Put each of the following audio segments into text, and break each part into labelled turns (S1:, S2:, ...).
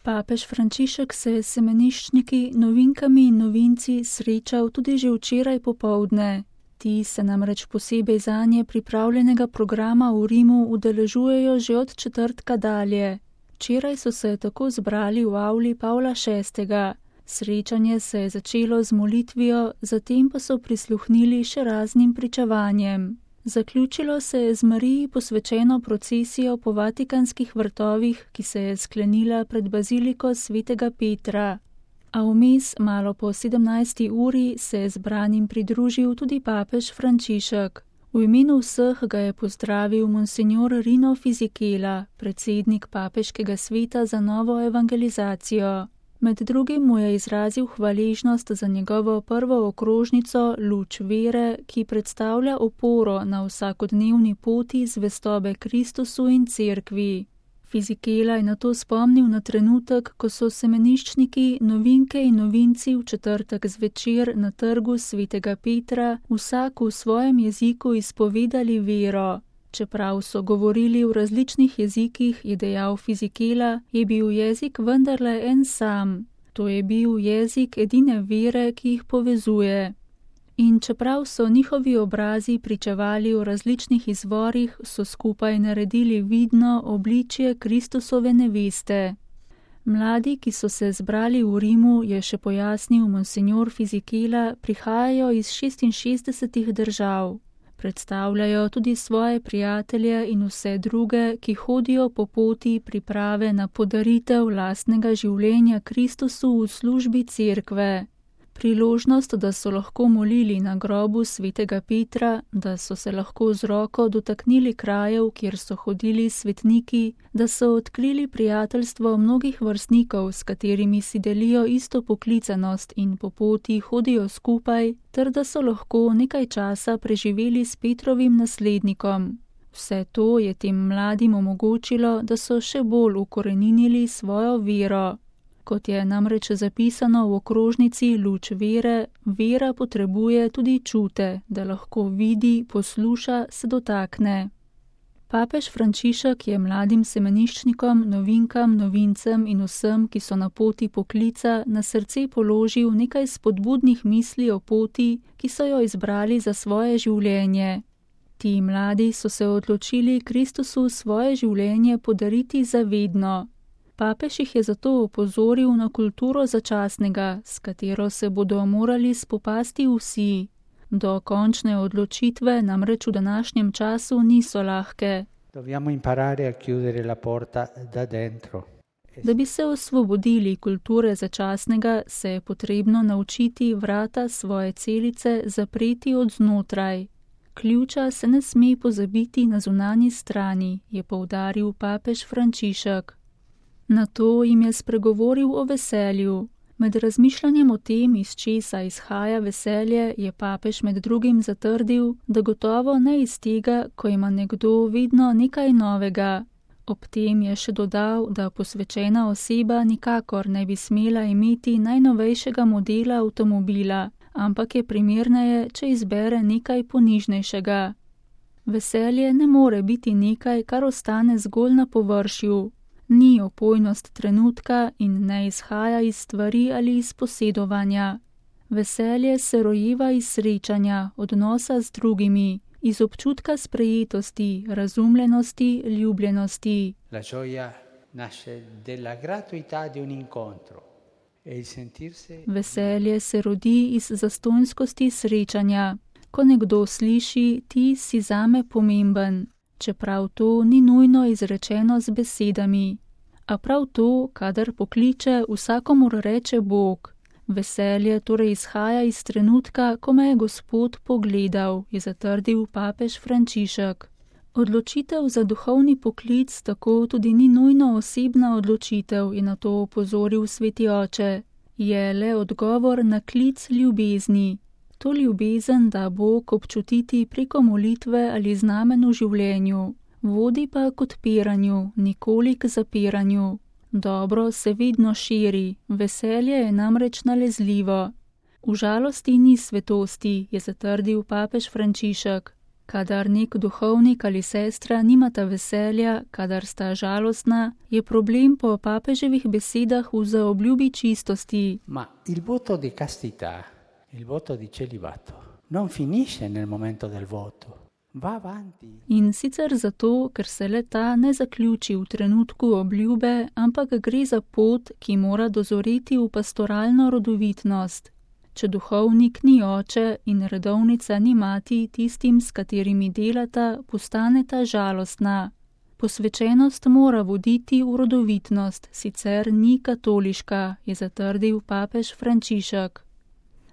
S1: Papež Frančišek se je s semeniščniki, novinkami in novinci srečal tudi že včeraj popoldne. Ti se namreč posebej zanje pripravljenega programa v Rimu udeležujejo že od četrtka dalje. Včeraj so se tako zbrali v avli Pavla VI. Srečanje se je začelo z molitvijo, zatem pa so prisluhnili še raznim pričevanjem. Zaključilo se je z Mariji posvečeno procesijo po Vatikanskih vrtovih, ki se je sklenila pred baziliko svetega Petra. A vmes, malo po 17. uri, se je zbranim pridružil tudi papež Frančišek. V imenu vseh ga je pozdravil monsignor Rino Fisichella, predsednik papeškega sveta za novo evangelizacijo. Med drugim mu je izrazil hvaležnost za njegovo prvo okrožnico Luč vere, ki predstavlja oporo na vsakodnevni poti zvestobe Kristusu in cerkvi. Fisichella je nato spomnil na trenutek, ko so semeniščniki, novinke in novinci v četrtek zvečer na trgu svetega Petra vsak v svojem jeziku izpovedali vero. Čeprav so govorili v različnih jezikih, je dejal Fisichella, je bil jezik vendarle en sam. To je bil jezik edine vere, ki jih povezuje. In čeprav so njihovi obrazi pričevali o različnih izvorih, so skupaj naredili vidno obličje Kristusove neveste. Mladi, ki so se zbrali v Rimu, je še pojasnil monsignor Fisichella, prihajajo iz 66 držav. Predstavljajo tudi svoje prijatelje in vse druge, ki hodijo po poti priprave na podaritev lastnega življenja Kristusu v službi cerkve. Priložnost, da so lahko molili na grobu svetega Petra, da so se lahko z roko dotaknili krajev, kjer so hodili svetniki, da so odkrili prijateljstvo mnogih vrstnikov, s katerimi si delijo isto poklicanost in po poti hodijo skupaj, ter da so lahko nekaj časa preživeli s Petrovim naslednikom. Vse to je tem mladim omogočilo, da so še bolj ukoreninili svojo vero. Kot je namreč zapisano v okrožnici Luč vere, vera potrebuje tudi čute, da lahko vidi, posluša, se dotakne. Papež Frančišek je mladim semeniščnikom, novinkam, novincem in vsem, ki so na poti poklica, na srce položil nekaj spodbudnih misli o poti, ki so jo izbrali za svoje življenje. Ti mladi so se odločili Kristusu svoje življenje podariti za vedno. Papež jih je zato opozoril na kulturo začasnega, s katero se bodo morali spopasti vsi. Do končne odločitve namreč v današnjem času niso lahke. Da bi se osvobodili kulture začasnega, se je potrebno naučiti vrata svoje celice zapreti od znotraj. Ključa se ne sme pozabiti na zunanji strani, je poudaril papež Frančišek. Nato jim je spregovoril o veselju. Med razmišljanjem o tem, iz česa izhaja veselje, je papež med drugim zatrdil, da gotovo ne iz tega, ko ima nekdo vedno nekaj novega. Ob tem je še dodal, da posvečena oseba nikakor ne bi smela imeti najnovejšega modela avtomobila, ampak je primerneje, če izbere nekaj ponižnejšega. Veselje ne more biti nekaj, kar ostane zgolj na površju. Ni opojnost trenutka in ne izhaja iz stvari ali iz posedovanja. Veselje se rojeva iz srečanja, odnosa z drugimi, iz občutka sprejetosti, razumljenosti, ljubljenosti.
S2: La gioia nasce della gratuità di un incontro e il sentirsi.
S1: Veselje se rodi iz zastonjskosti srečanja. Ko nekdo sliši, ti si zame pomemben. Čeprav to ni nujno izrečeno z besedami. A prav to, kadar pokliče, vsakomur reče Bog. Veselje torej izhaja iz trenutka, ko me je Gospod pogledal, je zatrdil papež Frančišek. Odločitev za duhovni poklic tako tudi ni nujno osebna odločitev, je na to opozoril sveti oče. Je le odgovor na klic ljubezni. To ljubezen da Bog občutiti preko molitve ali znamen v življenju, vodi pa k odpiranju, nikoli k zapiranju. Dobro se vedno širi, veselje je namreč nalezljivo. V žalosti ni svetosti, je zatrdil papež Frančišek. Kadar nek duhovnik ali sestra nimata veselja, kadar sta žalostna, je problem po papeževih besedah v zaobljubi čistosti.
S2: Ma il voto di castità, il voto di celibato, non finisce nel momento del voto. Va avanti.
S1: In sicer zato, ker se le-ta ne zaključi v trenutku obljube, ampak gre za pot, ki mora dozoreti v pastoralno rodovitnost. Če duhovnik ni oče in redovnica ni mati, tistim, s katerimi delata, postaneta žalostna. Posvečenost mora voditi v rodovitnost, sicer ni katoliška, je zatrdil papež Frančišek.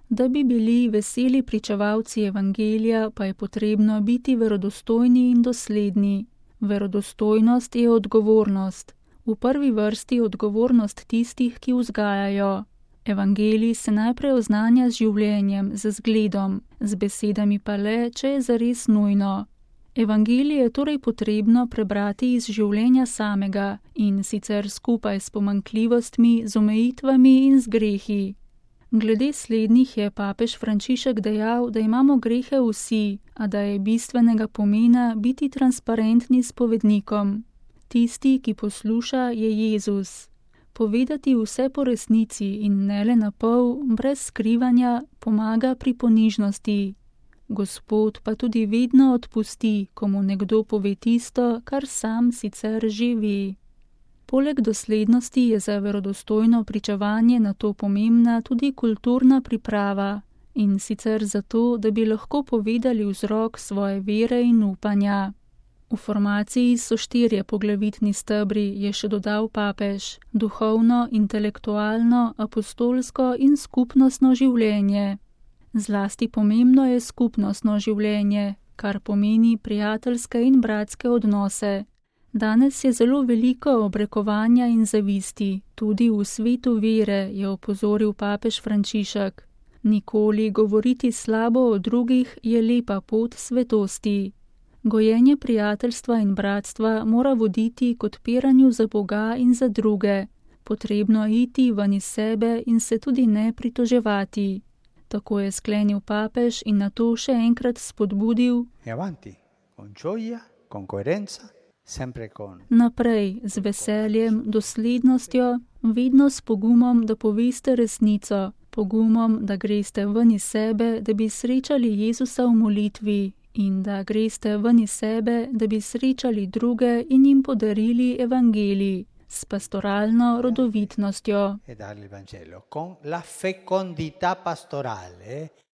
S1: Da bi bili veseli pričevalci evangelija, pa je potrebno biti verodostojni in dosledni. Verodostojnost je odgovornost. V prvi vrsti odgovornost tistih, ki vzgajajo. Evangelij se najprej oznanja z življenjem, z zgledom, z besedami pa le, če je zares nujno. Evangelij je torej potrebno prebrati iz življenja samega in sicer skupaj s pomanjkljivostmi, z omejitvami in z grehi. Glede slednjih je papež Frančišek dejal, da imamo grehe vsi, a da je bistvenega pomena biti transparentni s povednikom. Tisti, ki posluša, je Jezus. Povedati vse po resnici in ne le na pol, brez skrivanja, pomaga pri ponižnosti. Gospod pa tudi vedno odpusti, ko mu nekdo pove tisto, kar sam sicer že ve. Poleg doslednosti je za verodostojno pričevanje na to pomembna tudi kulturna priprava, in sicer zato, da bi lahko povedali vzrok svoje vere in upanja. V formaciji so 4 poglavitni stebri, je še dodal papež: duhovno, intelektualno, apostolsko in skupnostno življenje. Zlasti pomembno je skupnostno življenje, kar pomeni prijateljske in bratske odnose. Danes je zelo veliko obrekovanja in zavisti, tudi v svetu vere, je opozoril papež Frančišek. Nikoli govoriti slabo o drugih je lepa pot svetosti. Gojenje prijateljstva in bratstva mora voditi k odpiranju za Boga in za druge. Potrebno iti ven iz sebe in se tudi ne pritoževati. Tako je sklenil papež in nato še enkrat spodbudil:
S2: avanti, con gioia, con coerenza, sempre con.
S1: Naprej, z veseljem, doslednostjo, vedno s pogumom, da poveste resnico, pogumom, da greste ven iz sebe, da bi srečali Jezusa v molitvi, in da greste ven iz sebe, da bi srečali druge in jim podarili evangelij, s pastoralno rodovitnostjo.
S2: E dargli il Vangelo con la fecondità pastorale.